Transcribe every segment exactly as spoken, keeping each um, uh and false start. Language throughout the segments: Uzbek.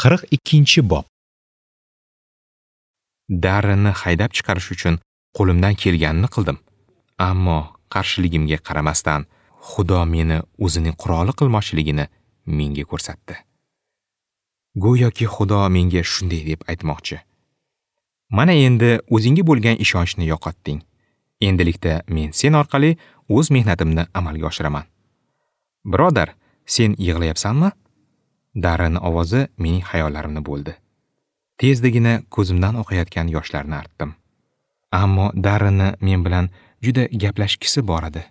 Qirq ikkinchi bob. Darrenni haydab chiqarish uchun qo'limdan kelganini qildim. Ammo qarshiligimga qaramasdan Xudo meni o'zining quroli qilmoqchiligini menga ko'rsatdi. Go'yoki Xudo menga shunday deb aytmoqchi: Mana endi o'zingga bo'lgan ishonchni yo'qotding. Endilikda men sen orqali o'z mehnatimni amalga oshiraman. Birodar, sen yig'layapsanmi? Darren ovozi mening xayollarimni bo'ldi. Tezdigina ko'zimdan oqayotgan yoshlarni artdim. Ammo Darrenni men bilan juda gaplashgisi bor edi.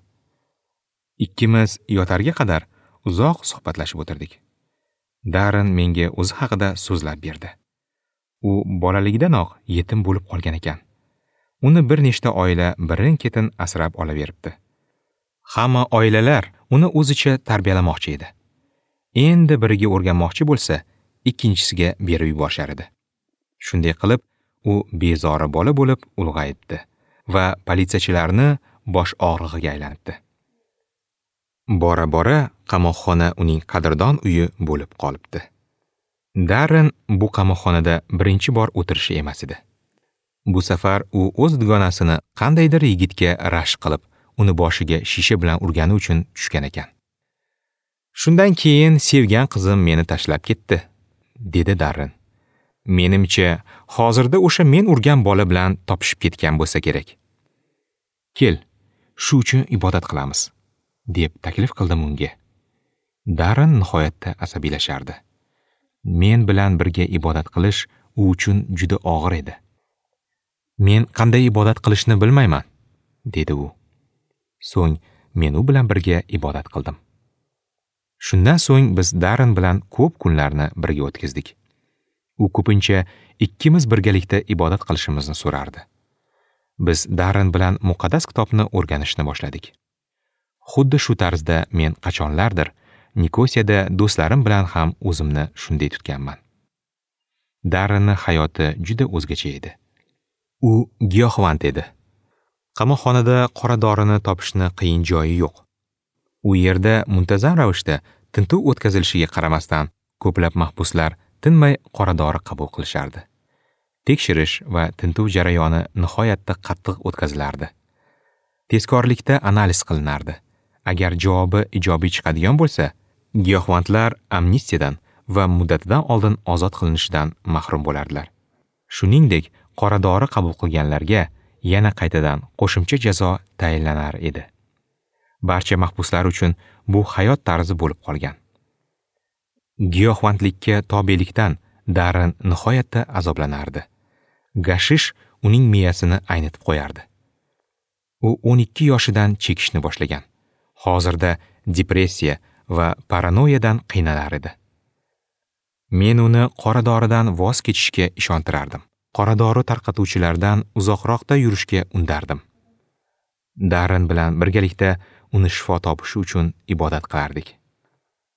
Ikkimiz yotarga qadar uzoq suhbatlashib o'tirdik. Darren menga o'zi haqida so'zlab berdi. U bolaligidanoq yetim bo'lib qolgan ekan. Uni bir nechta oila birin-ketin asrab olaveribdi. Hamma oilalar uni o'zicha tarbiyalamoqchi edi. Endi biriga o'rganmoqchi bo'lsa, ikkinchisiga berib yuborishar edi. Shunday qilib, u bezori bola bo'lib ulg'ayibdi va politsiyachilarni bosh og'rig'iga aylanibdi. Bora-bora qamoqxona uning qadrdon uyi bo'lib qolibdi. Darren bu qamoqxonada birinchi bor o'tirishi emas edi. Bu safar u o'z dugonasini qandaydir yigitga rashk qilib, uni boshiga shisha bilan urgani uchun tushgan ekan. Shundan keyin sevgan qizim meni tashlab ketdi, dedi Darren. Menimcha, hozirda o'sha men urgan bola bilan topishib ketgan bo'lsa kerak. Kel, shu uchun ibodat qilamiz, deb taklif qildim unga. Darren nihoyatda asabiylashardi. Men bilan birga ibodat qilish u uchun juda og'ir edi. Men qanday ibodat qilishni bilmayman, dedi u. So'ng men u bilan birga ibodat qildim. Shundan so'ng biz Darren bilan ko'p kunlarni birga o'tkazdik. U ko'pincha ikkimiz birgalikda ibodat qilishimizni so'rardi. Biz Darren bilan muqaddas kitobni o'rganishni boshladik. Xuddi shu tarzda men qachonlardir Nikosiyada do'stlarim bilan ham o'zimni shunday tutganman. Darrenning hayoti juda o'zgacha edi. U giyohvand edi. Qamoqxonada qora dorini topishni qiyin joyi yo'q. U yerda muntazam ravishda tintuv o'tkazilishiga qaramasdan ko'plab mahbuslar tinmay qora dori qabul qilishardi. Tekshirish va tintuv jarayoni nihoyatda qattiq o'tkazilardi. Tezkorlikda analiz qilinardi. Agar javobi ijobiy chiqadigan bo'lsa, giyohvandlar amnistiyadan va muddatidan oldin ozod qilinishidan mahrum bo'lardilar. Shuningdek, qora dori qabul qilganlarga yana qaytadan qo'shimcha jazo tayinlanar edi. Barcha mahbuslar uchun bu hayot tarzi bo'lib qolgan. Giyohvandlikka tobelikdan Darren nihoyatda azoblanardi. Gashish uning miyasini aynitib qo'yardi. U o'n ikki yoshidan chekishni boshlagan. Hozirda depressiya va paranoyadan qiynalar edi. Men uni qora doridan voz kechishga ishontirardim. Qora dori tarqatuvchilardan uzoqroqda yurishga undardim. Darren bilan birgalikda uni shifo topishi uchun ibodat qilardik.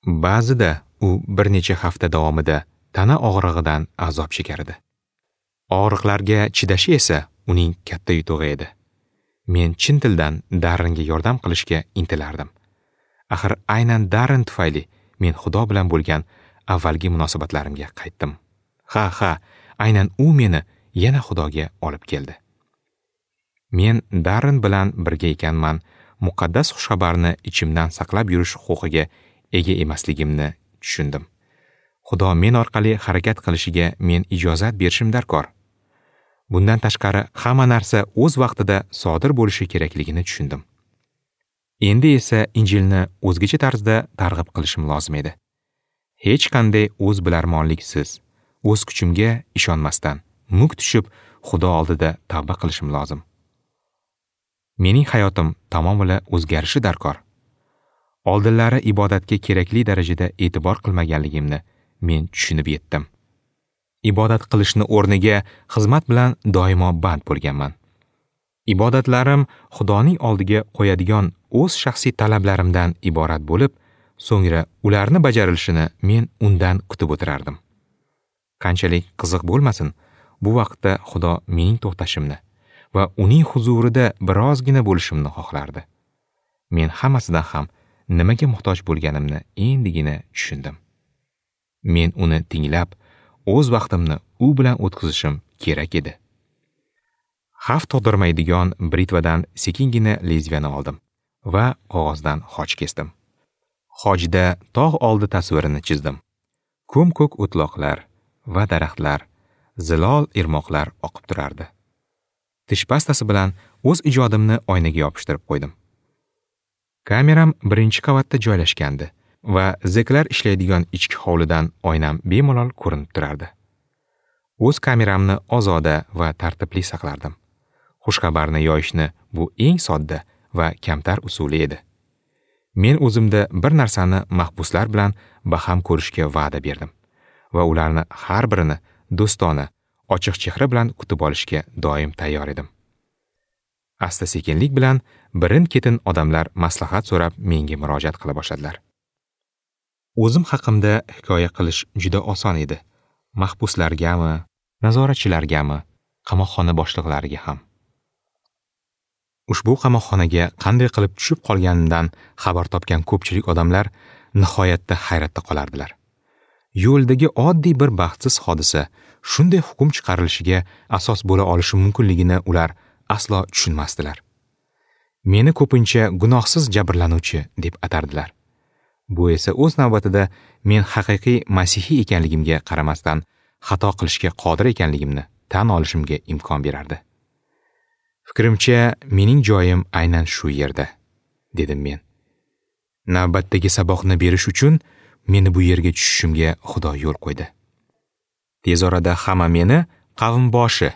Ba'zida u bir necha hafta davomida tana og'rig'idan azob chekar edi. Og'riqlarga chidashi esa uning katta yutug'i edi. Men chin dildan Darrenga yordam qilishga intilardim. Axir aynan Darren tufayli men Xudo bilan bo'lgan avvalgi munosabatlarimga qaytdim. Ha, ha, aynan u meni yana Xudoga olib keldi. Men Darren bilan birga ekanman, muqaddas xushxabarni ichimdan saqlab yurish huquqiga ega emasligimni tushundim. Xudo men orqali harakat qilishiga men ijozat berishim darkor. Bundan tashqari hamma narsa o'z vaqtida sodir bo'lishi kerakligini tushundim. Endi esa Injilni o'zgacha tarzda targ'ib qilishim lozim edi. Hech qanday o'z bilarmonliksiz, o'z kuchimga ishonmasdan muk tushib Xudo oldida tavba qilishim lozim. Mening hayotim tamomila o'zgarishi darkor. Oldinlari ibodatga kerakli darajada e'tibor qilmaganligimni men tushunib yetdim. Ibodat qilishni o'rniga xizmat bilan doimo band bo'lganman. Ibodatlarim Xudoning oldiga qo'yadigan o'z shaxsiy talablarimdan iborat bo'lib, so'ngra ularni bajarilishini men undan kutib o'tirardim. Qanchalik qiziq bo'lmasin, bu vaqtda Xudo mening to'xtashimni va uning huzurida birozgina bo'lishimni xohlardi. Men hammasidan ham nimaga muhtoj bo'lganimni endigina tushundim. Men uni tinglab, o'z vaqtimni u bilan o'tkazishim kerak edi. Xavf tug'dirmaydigan britvadan sekingina lezviyani oldim va qog'ozdan xoch kesdim. Xochda tog' oldi tasvirini chizdim. Ko'm-ko'k o'tloqlar va daraxtlar, zilol irmoqlar oqib turardi. Tish pastasi bilan o'z ijodimni oynaga yopishtirib qo'ydim. Kameram birinchi qavatda joylashgandi va zeklar ishlaydigan ichki hovlidan oynam bemalol ko'rinib turardi. O'z kameramni ozoda va tartibli saqlardim. Xushxabarni yoyishni bu eng sodda va kamtar usuli edi. Men o'zimda bir narsani mahbuslar bilan baham ko'rishga va'da berdim va ularni har birini do'stona, ochiq chehra bilan kutib olishga doim tayyor edim. Asta-sekinlik bilan birin-ketin odamlar maslahat so'rab menga murojaat qila boshladilar. O'zim haqimda hikoya qilish juda oson edi. Mahbuslargami, nazoratchilargami, qamoqxona boshliqlariga ham. Ushbu qamoqxonaga qanday qilib tushib qolganimdan xabar topgan ko'pchilik odamlar nihoyatda hayratda qolardilar. Yo'ldagi oddiy bir baxtsiz hodisa shunday hukm chiqarilishiga asos bo'la olishi mumkinligini ular aslo tushunmasdilar. Meni ko'pincha gunohsiz jabrlanuvchi deb atardilar. Bu esa o'z navbatida men haqiqiy masihiy ekanligimga qaramasdan xato qilishga qodir ekanligimni tan olishimga imkon berardi. Fikrimcha, mening joyim aynan shu yerda, dedim men. Navbatdagi saboqni berish uchun meni bu yerga tushishimga Xudo yo'l qo'ydi. Tez orada hamma meni qavmboshi,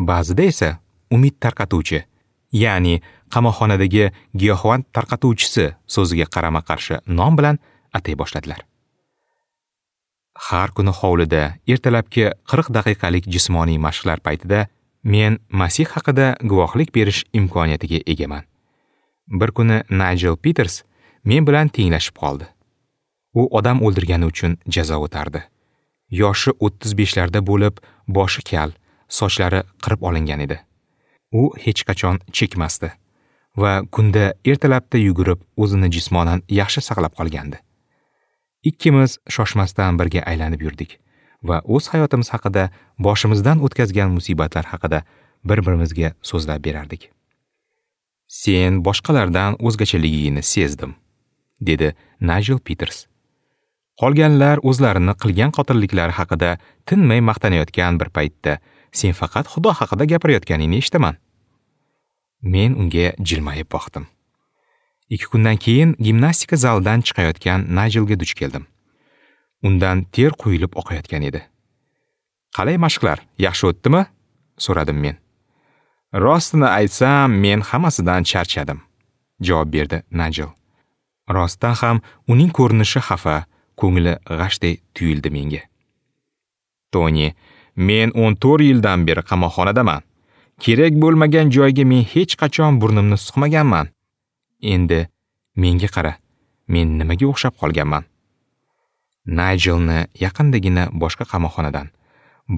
ba'zida esa umid tarqatuvchi, ya'ni qamoqxonadagi giyohvand tarqatuvchisi so'ziga qarama-qarshi nom bilan atay boshladilar. Har kuni hovlida ertalabki qirq daqiqalik jismoniy mashqlar paytida men Masih haqida guvohlik berish imkoniyatiga egaman. Bir kuni Nigel Peters men bilan tenglashib qoldi. U odam o'ldirgani uchun jazo o'tardi. Yoshi o'ttiz beshlarda bo'lib, boshi kal, sochlari qirib olingan edi. U hech qachon chekmasdi va kunda ertalabda yugurib, o'zini jismonan yaxshi saqlab qolgandi. Ikkimiz shoshmasdan birga aylanib yurdik va o'z hayotimiz haqida, boshimizdan o'tkazgan musibatlar haqida bir-birimizga so'zlab berardik. Sen boshqalardan o'zgachaligingni sezdim, dedi Nigel Peters. Qolganlar o'zlarini qilgan qotilliklari haqida tinmay maqtanayotgan bir paytda sen faqat Xudo haqida gapirayotganingni eshitaman. Men unga jilmayib boqdim. Ikki kundan keyin gimnastika zalidan chiqayotgan Nigelga duch keldim. Undan ter quyilib oqayotgan edi. Qalay mashqlar, yaxshi o'tdimi? So'radim men. Rostini aytsam, men hammasidan charchadim, javob berdi Nigel. Rostdan ham uning ko'rinishi xafa, ko'ngli g'ashday tuyuldi menga. Toni, men o'n to'rt yildan beri qamoqxonadaman. Kerak bo'lmagan joyga men hech qachon burnimni suqmaganman. Endi menga qara, men nimaga o'xshab qolganman? Nigelni yaqindagina boshqa qamoqxonadan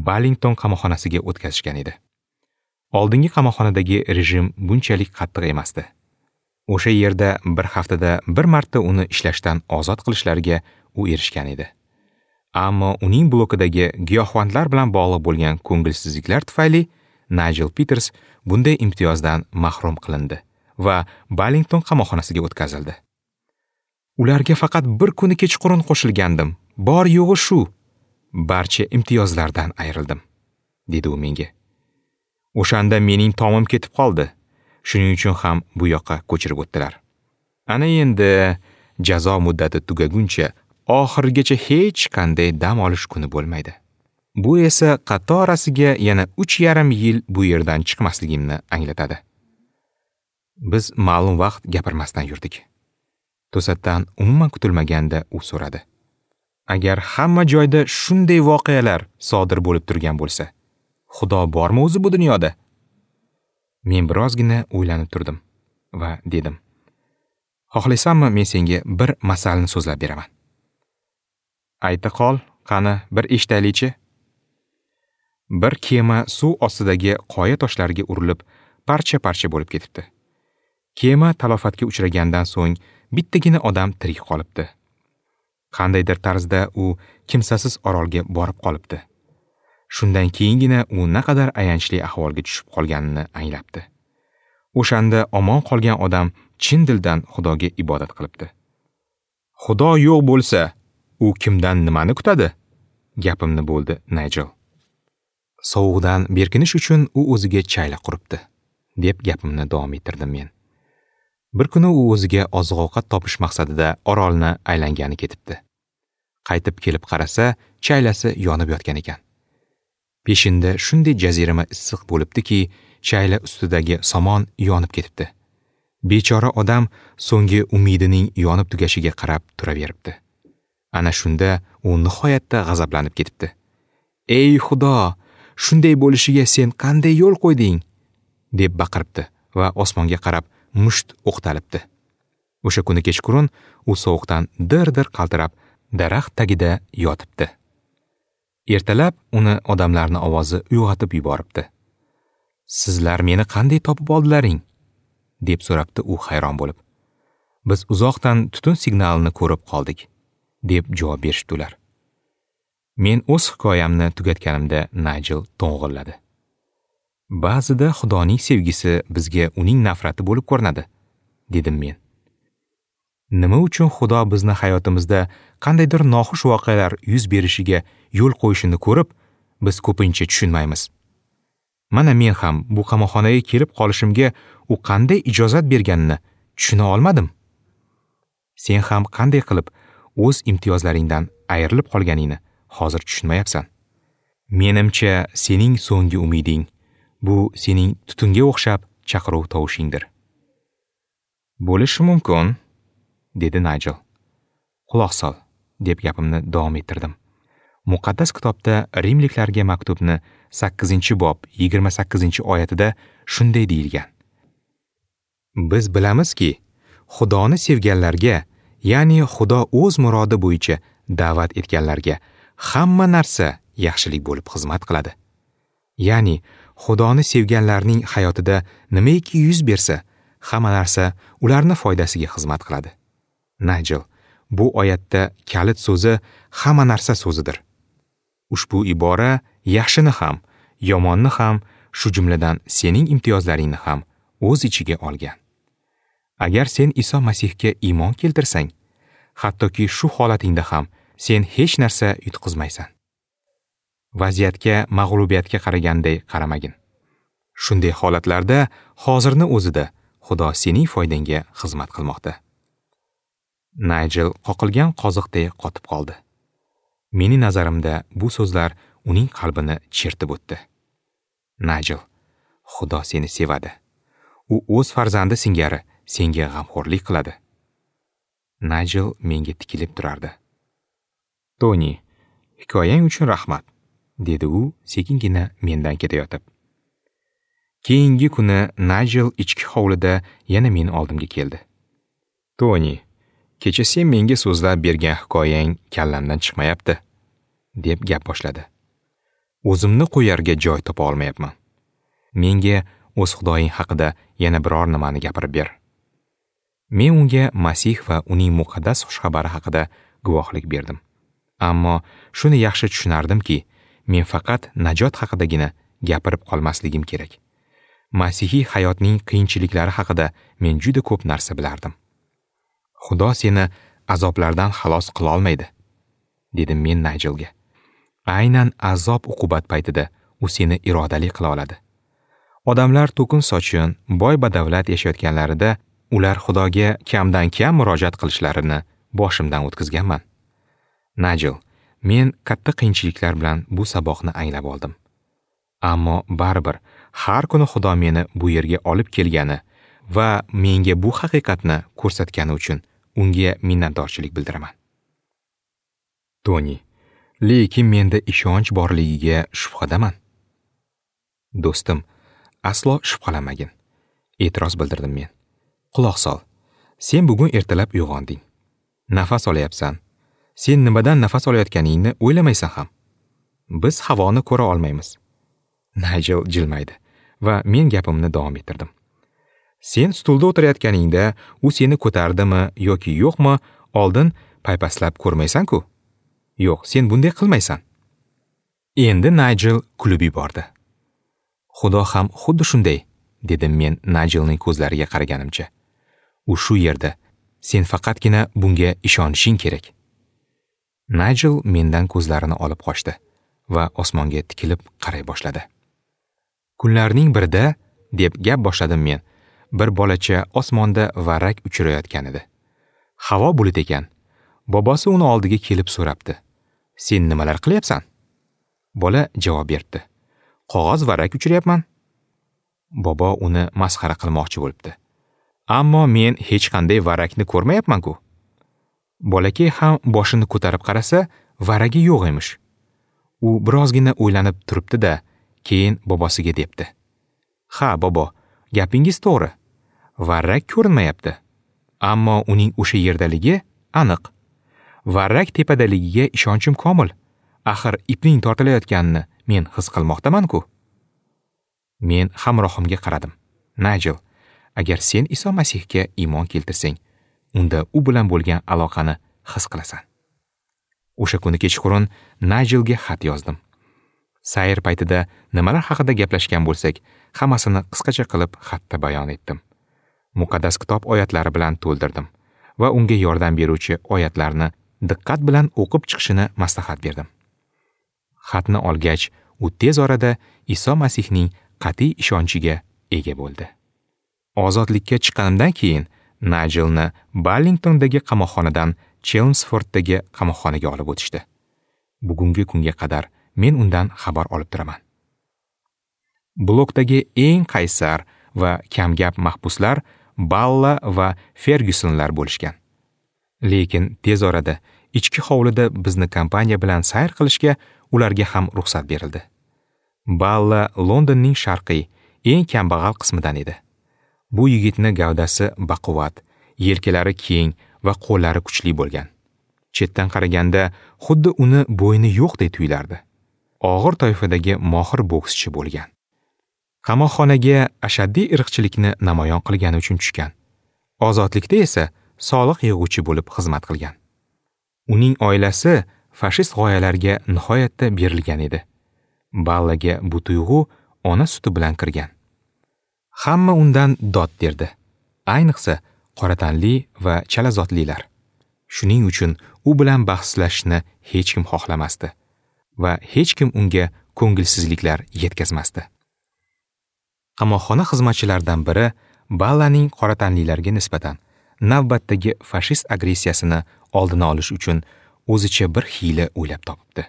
Ballington qamoqxonasiga o'tkazishgan edi. Oldingi qamoqxonadagi rejim bunchalik qattiq emasdi. O'sha yerda bir haftada bir marta uni ishlashdan ozod qilishlariga u erishgan edi. Ammo uning blokidagi giyohvandlar bilan bog'liq bo'lgan ko'ngilsizliklar tufayli Nigel Peters bunday imtiyozdan mahrum qilindi va Ballington qamoqxonasiga o'tkazildi. Ularga faqat bir kuni kechqurun qo'shilgandim. Bor yo'g'i shu. Barcha imtiyozlardan ayrildim, dedi u menga. O'shanda mening tomim ketib qoldi. Shuning uchun ham bu yoqqa ko'chirib o'tdilar. Ana endi jazo muddati tugaguncha oxirigacha hech qanday dam olish kuni bo'lmaydi. Bu esa qatorasiga yana uch yarim yil bu yerdan chiqmasligimni anglatadi. Biz ma'lum vaqt gapirmasdan yurdik. To'satdan umuman kutilmaganda u so'radi. Agar hamma joyda shunday voqealar sodir bo'lib turgan bo'lsa, Xudo bormi o'zi bu dunyoda? Men birozgina o'ylanib turdim va dedim: Xohlaysanmi, men senga bir masalni so'zlab beraman. Ayta qol, qani bir eshitaylikchi. Bir kema suv ostidagi qoya toshlariga urilib, parcha-parcha bo'lib ketibdi. Kema talofatga uchragandan so'ng bittagina odam tirik qolibdi. Qandaydir tarzda u kimsasiz orolga borib qolibdi. Shundan keyingina u naqadar ayanchli ahvolga tushib qolganini anglabdi. O'shanda omon qolgan odam chin dildan Xudoga ibodat qilibdi. Xudo yo'q bo'lsa, u kimdan nimani kutadi? Gapimni bo'ldi Nigel. Sovuqdan berkinish uchun u o'ziga chayla quribdi, deb gapimni davom ettirdim men. Bir kuni u o'ziga oziq-ovqat topish maqsadida orolni aylangani ketibdi. Qaytib kelib qarasa, chaylasi yonib yotgan ekan. Peshinda shunday jazirama issiq bo'libdiki, chayla ustidagi somon yonib ketibdi. Bechora odam so'nggi umidining yonib tugashiga qarab turaveribdi. Ana shunda u nihoyatda g'azablanib ketibdi. "Ey Xudo, shunday bo'lishiga sen qanday yo'l qo'yding?" deb baqiribdi va osmonga qarab musht o'qtalibdi. O'sha kuni kechqurun u sovuqdan dir-dir qaltirab daraxt tagida yotibdi. Ertalab uni odamlarning ovozi uyg'otib yuboribdi. "Sizlar meni qanday topib oldilaring?" deb so'rabdi u hayron bo'lib. "Biz uzoqdan tutun signalini ko'rib qoldik", deb javob berishdi ular. Men o'z hikoyamni tugatganimda Nigel to'ng'illadi. Ba'zida Xudoning sevgisi bizga uning nafrati bo'lib ko'rinadi, dedim men. Nima uchun Xudo bizni hayotimizda qandaydir noxush voqealar yuz berishiga yo'l qo'yishini ko'rib, biz ko'pincha tushunmaymiz. Mana men ham bu qamoqxonaga kelib qolishimga u qanday ijozat berganini tushuna olmadim. Sen ham qanday qilib o'z imtiyozlaringdan ayrilib qolganingni hozir tushunmayapsan. Menimcha, sening so'nggi umiding bu sening tutunga o'xshab chaqiruv tovushingdir. Bo'lishi mumkin, dedi Nigel. Quloq sol, deb gapimni davom ettirdim. Muqaddas kitobda Rimliklarga maktubni sakkizinchi bob yigirma sakkizinchi oyatida shunday deyilgan. Biz bilamizki, Xudoni sevganlarga, ya'ni Xudo o'z murodi bo'yicha da'vat etganlarga hamma narsa yaxshilik bo'lib xizmat qiladi. Ya'ni Xudoni sevganlarning hayotida nimaiki yuz bersa, hamma narsa ularning foydasiga xizmat qiladi. Nigel, bu oyatda kalit so'zi hamma narsa so'zidir. Ushbu ibora yaxshini ham, yomonni ham, shu jumladan sening imtiyozlaringni ham o'z ichiga olgan. Agar sen Iso Masihga iymon keltirsang, hattoki shu holatingda ham sen hech narsa yutqizmaysan. Vaziyatga mag'lubiyatga qaraganday qaramagin. Shunday holatlarda hozirni o'zida Xudo sening foydangga xizmat qilmoqda. Nigel qoqilgan qoziqday qotib qoldi. Mening nazarimda bu so'zlar uning qalbini chertib o'tdi. Nigel, Xudo seni sevadi. U o'z farzandi singari senga g'amxo'rlik qiladi. Nigel menga tikilib turardi. Toni, hikoyang uchun rahmat, dedi u sekingina mendan ketayotib. Keyingi kuni Nigel ichki hovlida yana meni oldimga keldi. Toni, kecha sen menga so'zlab bergan hikoyang kallamdan chiqmayapti, deb gap boshladi. O'zimni qo'yarga joy topa olmayapman. Menga o'z Xudoying haqida yana biror nimani gapirib ber. Men unga Masih va uning muqaddas xushxabari haqida guvohlik berdim. Ammo shuni yaxshi tushunardimki, men faqat najot haqidagina gapirib qolmasligim kerak. Masihiy hayotning qiyinchiliklari haqida men juda ko'p narsa bilardim. Xudo seni azoblardan xalos qila olmaydi, dedim men Nigelga. Aynan azob uqubat paytida u seni irodali qila oladi. Odamlar to'kin-sochin, boy badavlat yashayotganlarida ular Xudoga kamdan kam murojaat qilishlarini boshimdan o'tkazganman. Nigel, men katta qiyinchiliklar bilan bu saboqni anglab oldim. Ammo baribir har kuni Xudo meni bu yerga olib kelgani va menga bu haqiqatni ko'rsatgani uchun unga minnatdorchilik bildiraman. Toni, lekin menda ishonch borligiga shubhadaman. Do'stim, aslo shubhalanmagin, e'tiroz bildirdim men. Quloq sol. Sen bugun ertalab uyg'onding. Nafas olyapsan. Sen nimadan nafas olayotganingni o'ylamaysan ham. Biz havoni ko'ra olmaymiz. Nigel jilmaydi va men gapimni davom ettirdim. Sen stulda o'tirayotganingda u seni ko'tardimi yoki yo'qmi, oldin paypaslab ko'rmaysan-ku. Yo'q, sen bunday qilmaysan. Endi Nigel kulib yubordi. Xudo ham xuddi shunday, dedim men Nigelning ko'zlariga qaraganimcha. U shu yerda. Sen faqatgina bunga ishonishing kerak. Nigel mendan ko'zlarini olib qochdi va osmonga tikilib qaray boshladi. Kunlarning birida, deb gap boshladim men, bir bolacha osmonda varrak uchirayotgan edi. Havo bulut ekan. Bobosi uni oldiga kelib so'rabdi. Sen nimalar qilyapsan? Bola javob berdi. Qog'oz varrak uchiryapman. Bobo uni masxara qilmoqchi bo'libdi. Ammo men hech qanday varrakni ko'rmayapman-ku. Bolakay ham boshini ko'tarib qarasa, varragi yo'q emish. U birozgina o'ylanib turibdi-da, keyin bobosiga debdi. Ha, bobo, gapingiz to'g'ri. Varrak ko'rinmayapti. Ammo uning o'sha yerdaligi aniq. Varrak tepadaligiga ishonchim komil. Axir ipning tortilayotganini men his qilmoqdaman-ku. Men hamrohimga qaradim. Nigel, agar sen Iso Masihga iymon keltirsang, unda u bilan bo'lgan aloqani his qilasan. O'sha kuni kechqurun Nigelga xat yozdim. Sayr paytida nimalar haqida gaplashgan bo'lsak, hammasini qisqacha qilib xatda bayon etdim. Muqaddas kitob oyatlari bilan to'ldirdim va unga yordam beruvchi oyatlarni diqqat bilan o'qib chiqishini maslahat berdim. Xatni olgach, u tez orada Iso Masihning qat'iy ishonchiga ega bo'ldi. Ozodlikka chiqqanimdan keyin Nigelni Ballingtondagi qamoqxonadan Chelmsforddagi qamoqxonaga olib o'tishdi. Bugungi kunga qadar men undan xabar olib turaman. Blokdagi eng qaysar va kamgap mahbuslar Balla va Fergusonlar bo'lishgan. Lekin tez orada ichki hovlida bizni kompaniya bilan sayr qilishga ularga ham ruxsat berildi. Balla Londonning sharqiy, eng kambag'al qismidan edi. Bu yigitni gavdasi baquvvat, yelkalari keng va qo'llari kuchli bo'lgan. Chetdan qaraganda xuddi uni bo'yni yo'qdek tuyulardi. Og'ir toifadagi mohir bokschi bo'lgan. Qamoqxonaga ashaddiy irqchilikni namoyon qilgani uchun tushgan. Ozodlikda esa soliq yig'uvchi bo'lib xizmat qilgan. Uning oilasi fashist g'oyalarga nihoyatda berilgan edi. Ballaga bu tuyg'u ona suti bilan kirgan. Hamma undan dod derdi. Ayniqsa qoratanli va chalazotlilar. Shuning uchun u bilan bahslashishni hech kim xohlamasdi va hech kim unga ko'ngilsizliklar yetkazmasdi. Qamoqxona xizmatchilaridan biri Ballaning qoratanlilarga nisbatan navbatdagi fashist agressiyasini oldini olish uchun o'zicha bir hiyla o'ylab topibdi.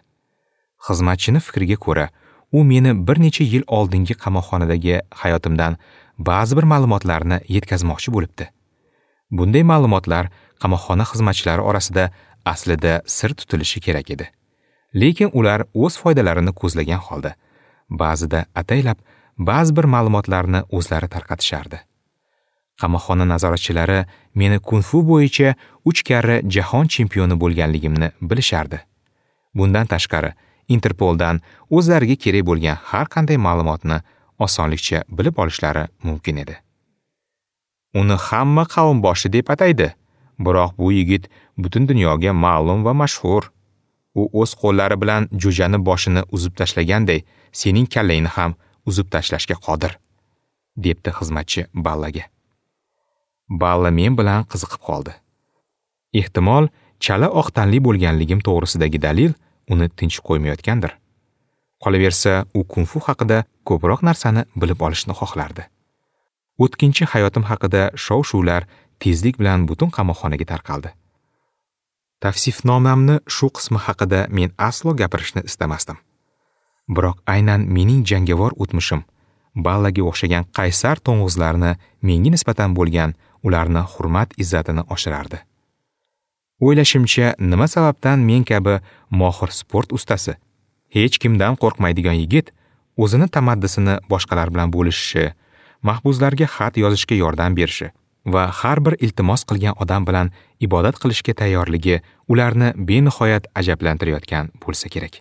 Xizmatchini fikriga ko'ra, u meni bir necha yil oldingi qamoqxonadagi hayotimdan ba'zi bir ma'lumotlarni yetkazmoqchi bo'libdi. Bunday ma'lumotlar qamoqxona xizmatchilari orasida aslida sir tutilishi kerak edi. Lekin ular o'z foydalarini ko'zlagan holda ba'zida ataylab ba'zi bir ma'lumotlarni o'zlari tarqatishardi. Qamoqxona nazoratchilari meni kung-fu bo'yicha uch karra jahon chempioni bo'lganligimni bilishardi. Bundan tashqari, Interpoldan o'zlariga kerak bo'lgan har qanday ma'lumotni osonlikcha bilib olishlari mumkin edi. Uni hamma qavm boshi deb ataydi, biroq bu yigit butun dunyoga ma'lum va mashhur. U o'z qo'llari bilan jo'jani boshini uzib tashlaganday, sening kallangni ham uzib tashlashga qodir, debdi xizmatchi Ballaga. Balla men bilan qiziqib qoldi. Ehtimol, chala oq tanli bo'lganligim to'g'risidagi dalil uni tinch qo'ymayotgandir. Qolaversa, u kung-fu haqida ko'proq narsani bilib olishni xohlardi. O'tkinchi hayotim haqida shov-shuvlar tezlik bilan butun qamoqxonaga tarqaldi. Tavsifnomamni shu qismi haqida men aslo gapirishni istamasdim. Biroq aynan mening jangovar o'tmishim Ballaga o'xshagan qaysar to'ng'izlarni menga nisbatan bo'lgan ularni hurmat izzatini oshirardi. O'ylashimcha, nima sababdan men kabi mohir sport ustasi, hech kimdan qo'rqmaydigan yigit o'zini tamaddisini boshqalar bilan bo'lishishi, mahbuslarga xat yozishga yordam berishi va har bir iltimos qilgan odam bilan ibodat qilishga tayyorligi ularni benihoyat ajablantirayotgan bo'lsa kerak.